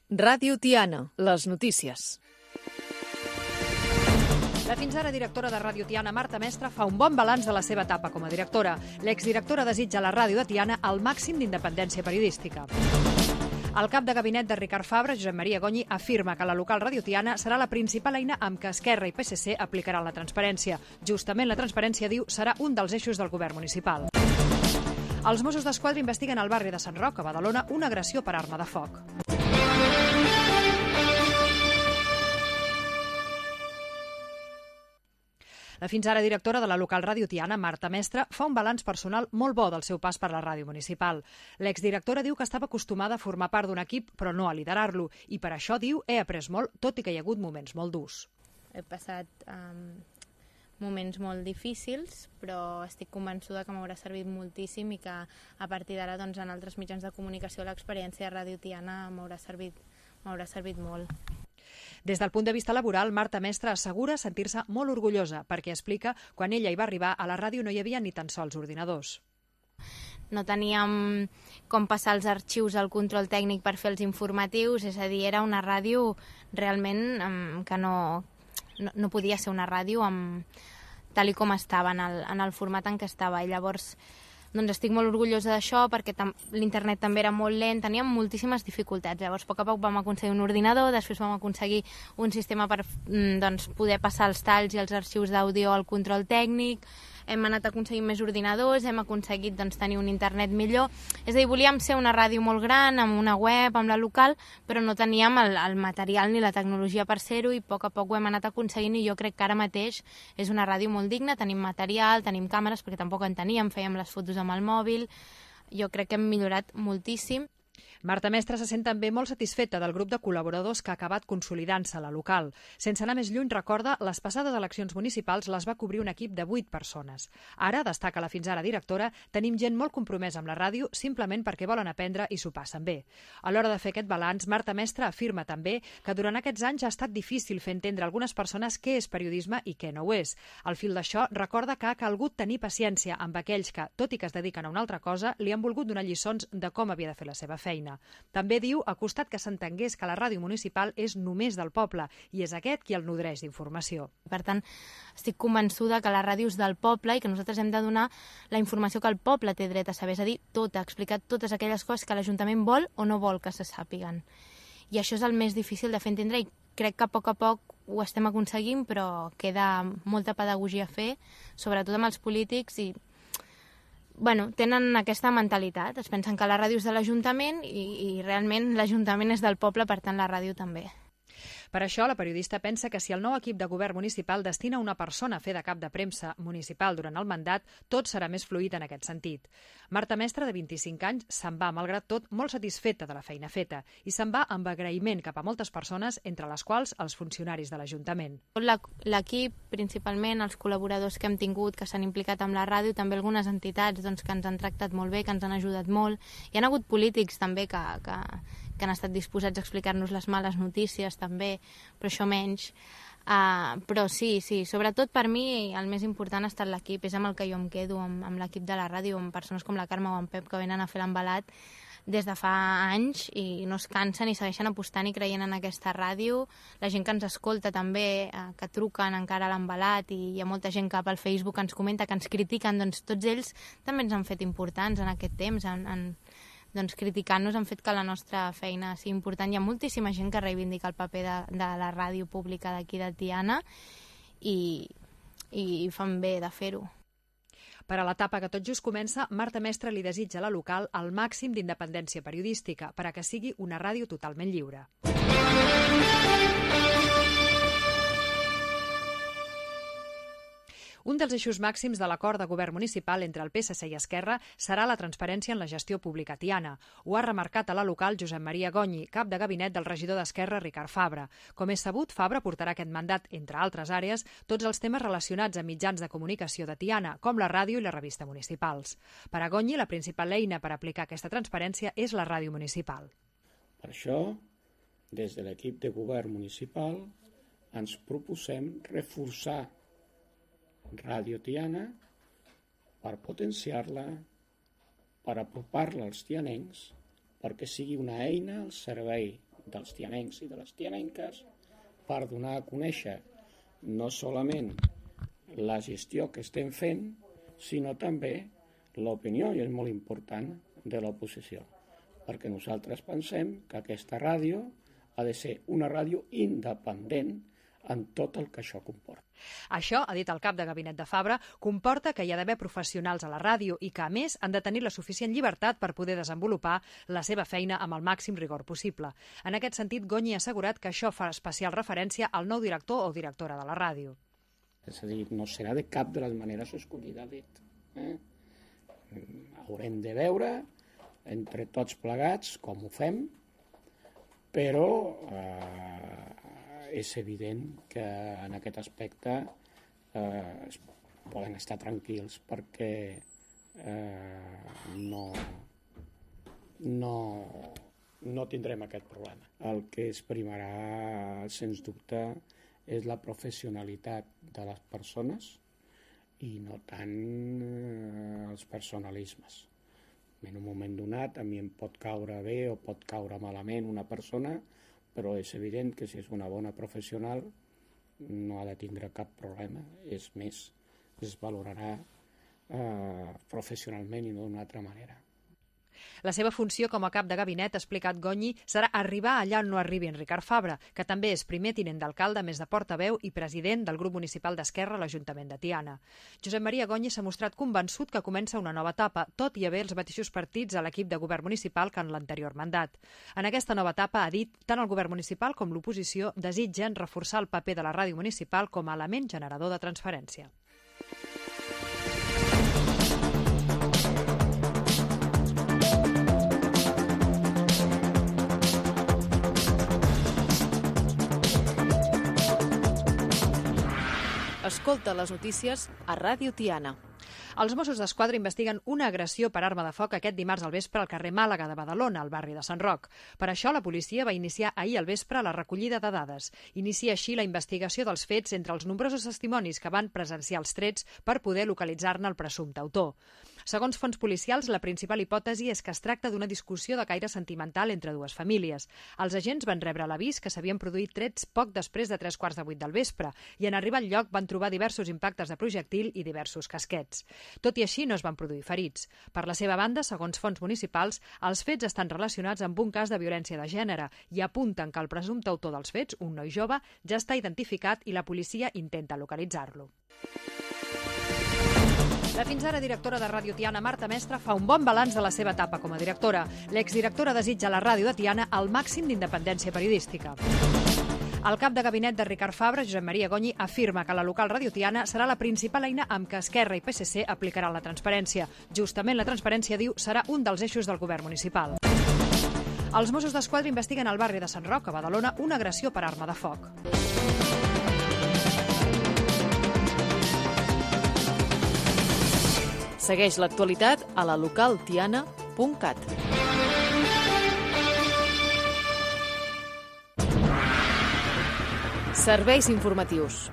Ràdio Tiana, les notícies. La fins ara directora de Ràdio Tiana, Marta Mestre, fa un bon balanç de la seva etapa com a directora. L'exdirectora desitja a la ràdio de Tiana el màxim d'independència periodística. El cap de gabinet de Ricard Fabra, Josep Maria Gonyi, afirma que la local Ràdio Tiana serà la principal eina amb què Esquerra i PSC aplicaran la transparència. Justament la transparència, diu, serà un dels eixos del govern municipal. Els Mossos d'Esquadra investiguen al barri de Sant Roc, a Badalona, una agressió per arma de foc. La fins ara directora de la local Ràdio Tiana, Marta Mestre, fa un balanç personal molt bo del seu pas per la ràdio municipal. L'exdirectora diu que estava acostumada a formar part d'un equip, però no a liderar-lo, i per això, diu, he après molt, tot i que hi ha hagut moments molt durs. He passat moments molt difícils, però estic convençuda que m'haurà servit moltíssim i que a partir d'ara doncs, en altres mitjans de comunicació l'experiència de Ràdio Tiana m'haurà servit molt. Des del punt de vista laboral, Marta Mestre assegura sentir-se molt orgullosa perquè explica quan ella hi va arribar a la ràdio no hi havia ni tan sols ordinadors. No teníem com passar els arxius al control tècnic per fer els informatius, és a dir, era una ràdio realment que no podia ser una ràdio tal com estava, en el format en què estava. I llavors doncs estic molt orgullosa d'això perquè l'internet també era molt lent, teníem moltíssimes dificultats. Llavors, a poc a poc vam aconseguir un ordinador, després vam aconseguir un sistema per poder passar els talls i els arxius d'àudio al control tècnic, hem anat aconseguint més ordinadors, hem aconseguit tenir un internet millor. És a dir, volíem ser una ràdio molt gran, amb una web, amb la local, però no teníem el material ni la tecnologia per ser-ho i a poc ho hem anat aconseguint i jo crec que ara mateix és una ràdio molt digna, tenim material, tenim càmeres, perquè tampoc en teníem, fèiem les fotos amb el mòbil. Jo crec que hem millorat moltíssim. Marta Mestre se sent també molt satisfeta del grup de col·laboradors que ha acabat consolidant-se a la local. Sense anar més lluny, recorda, les passades eleccions municipals les va cobrir un equip de 8 persones. Ara, destaca la fins ara directora, tenim gent molt compromesa amb la ràdio simplement perquè volen aprendre i s'ho passen bé. A l'hora de fer aquest balanç, Marta Mestre afirma també que durant aquests anys ha estat difícil fer entendre a algunes persones què és periodisme i què no ho és. Al fil d'això, recorda que ha calgut tenir paciència amb aquells que, tot i que es dediquen a una altra cosa, li han volgut donar lliçons de com havia de fer la seva feina. També diu, ha costat que s'entengués que la ràdio municipal és només del poble i és aquest qui el nodreix d'informació. Per tant, estic convençuda que la ràdio és del poble i que nosaltres hem de donar la informació que el poble té dret a saber, és a dir, explicar totes aquelles coses que l'Ajuntament vol o no vol que se sàpiguen. I això és el més difícil de fer entendre i crec que a poc ho estem aconseguint, però queda molta pedagogia a fer, sobretot amb els polítics i tenen aquesta mentalitat, es pensen que la ràdio és de l'Ajuntament i realment l'Ajuntament és del poble, per tant la ràdio també. Per això, la periodista pensa que si el nou equip de govern municipal destina una persona a fer de cap de premsa municipal durant el mandat, tot serà més fluid en aquest sentit. Marta Mestre, de 25 anys, se'n va, malgrat tot, molt satisfeta de la feina feta i se'n va amb agraïment cap a moltes persones, entre les quals els funcionaris de l'Ajuntament. L'equip, principalment, els col·laboradors que hem tingut, que s'han implicat amb la ràdio, també algunes entitats que ens han tractat molt bé, que ens han ajudat molt. Hi ha hagut polítics també que han estat disposats a explicar-nos les males notícies també, però això menys. Però sí, sobretot per mi el més important ha estat l'equip, és amb el que jo em quedo, amb l'equip de la ràdio, amb persones com la Carme o en Pep que venen a fer l'embalat des de fa anys i no es cansen i segueixen apostant i creient en aquesta ràdio. La gent que ens escolta també, que truquen encara a l'embalat i hi ha molta gent que pel Facebook ens comenta, que ens critiquen, doncs tots ells també ens han fet importants en aquest temps, criticant-nos han fet que la nostra feina sigui important. Hi ha moltíssima gent que reivindica el paper de la ràdio pública d'aquí de Tiana i fan bé de fer-ho. Per a l'etapa que tot just comença, Marta Mestre li desitja a la local el màxim d'independència periodística per a que sigui una ràdio totalment lliure. Un dels eixos màxims de l'acord de govern municipal entre el PSC i Esquerra serà la transparència en la gestió pública tiana. Ho ha remarcat a la local Josep Maria Gonyi, cap de gabinet del regidor d'Esquerra Ricard Fabra. Com és sabut, Fabra portarà aquest mandat, entre altres àrees, tots els temes relacionats amb mitjans de comunicació de Tiana, com la ràdio i la revista municipals. Per a Gonyi, la principal eina per aplicar aquesta transparència és la ràdio municipal. Per això, des de l'equip de govern municipal, ens proposem reforçar Ràdio Tiana per potenciar-la, per apropar-la als tianencs, perquè sigui una eina al servei dels tianencs i de les tianenques per donar a conèixer no solament la gestió que estem fent, sinó també l'opinió, i és molt important, de l'oposició. Perquè nosaltres pensem que aquesta ràdio ha de ser una ràdio independent en tot el que això comporta. Això, ha dit el cap de gabinet de Fabra, comporta que hi ha d'haver professionals a la ràdio i que, a més, han de tenir la suficient llibertat per poder desenvolupar la seva feina amb el màxim rigor possible. En aquest sentit, Gonyi ha assegurat que això fa especial referència al nou director o directora de la ràdio. És a dir, no serà de cap de les maneres escollida, dit. Haurem de veure entre tots plegats com ho fem, però és evident que en aquest aspecte poden estar tranquils perquè no tindrem aquest problema. El que es primarà, sens dubte, és la professionalitat de les persones i no tant els personalismes. En un moment donat a mi em pot caure bé o pot caure malament una persona, però és evident que si és una bona professional no ha de tindre cap problema. És més, es valorarà professionalment i no d'una altra manera. La seva funció com a cap de gabinet, ha explicat Gonyi, serà arribar allà on no arribi en Ricard Fabra, que també és primer tinent d'alcalde, més de portaveu i president del grup municipal d'Esquerra a l'Ajuntament de Tiana. Josep Maria Gonyi s'ha mostrat convençut que comença una nova etapa, tot i haver els mateixos partits a l'equip de govern municipal que en l'anterior mandat. En aquesta nova etapa, ha dit, tant el govern municipal com l'oposició desitgen reforçar el paper de la ràdio municipal com a element generador de transparència. Escolta les notícies a Ràdio Tiana. Els Mossos d'Esquadra investiguen una agressió per arma de foc aquest dimarts al vespre al carrer Màlaga de Badalona, al barri de Sant Roc. Per això, la policia va iniciar ahir al vespre la recollida de dades. Inicia així la investigació dels fets entre els nombrosos testimonis que van presenciar els trets per poder localitzar-ne el presumpte autor. Segons fonts policials, la principal hipòtesi és que es tracta d'una discussió de caire sentimental entre dues famílies. Els agents van rebre l'avís que s'havien produït trets poc després de 3:15 del vespre i en arribar al lloc van trobar diversos impactes de projectil i diversos casquets. Tot i així, no es van produir ferits. Per la seva banda, segons fonts municipals, els fets estan relacionats amb un cas de violència de gènere i apunten que el presumpte autor dels fets, un noi jove, ja està identificat i la policia intenta localitzar-lo. La fins ara directora de Ràdio Tiana, Marta Mestre, fa un bon balanç de la seva etapa com a directora. L'exdirectora desitja a la ràdio de Tiana el màxim d'independència periodística. El cap de gabinet de Ricard Fabra, Josep Maria Gonyi, afirma que la local Ràdio Tiana serà la principal eina amb què Esquerra i PSC aplicaran la transparència. Justament la transparència, diu, serà un dels eixos del govern municipal. Els Mossos d'Esquadra investiguen al barri de Sant Roc, a Badalona, una agressió per arma de foc. Segueix l'actualitat a la localtiana.cat. Serveis informatius.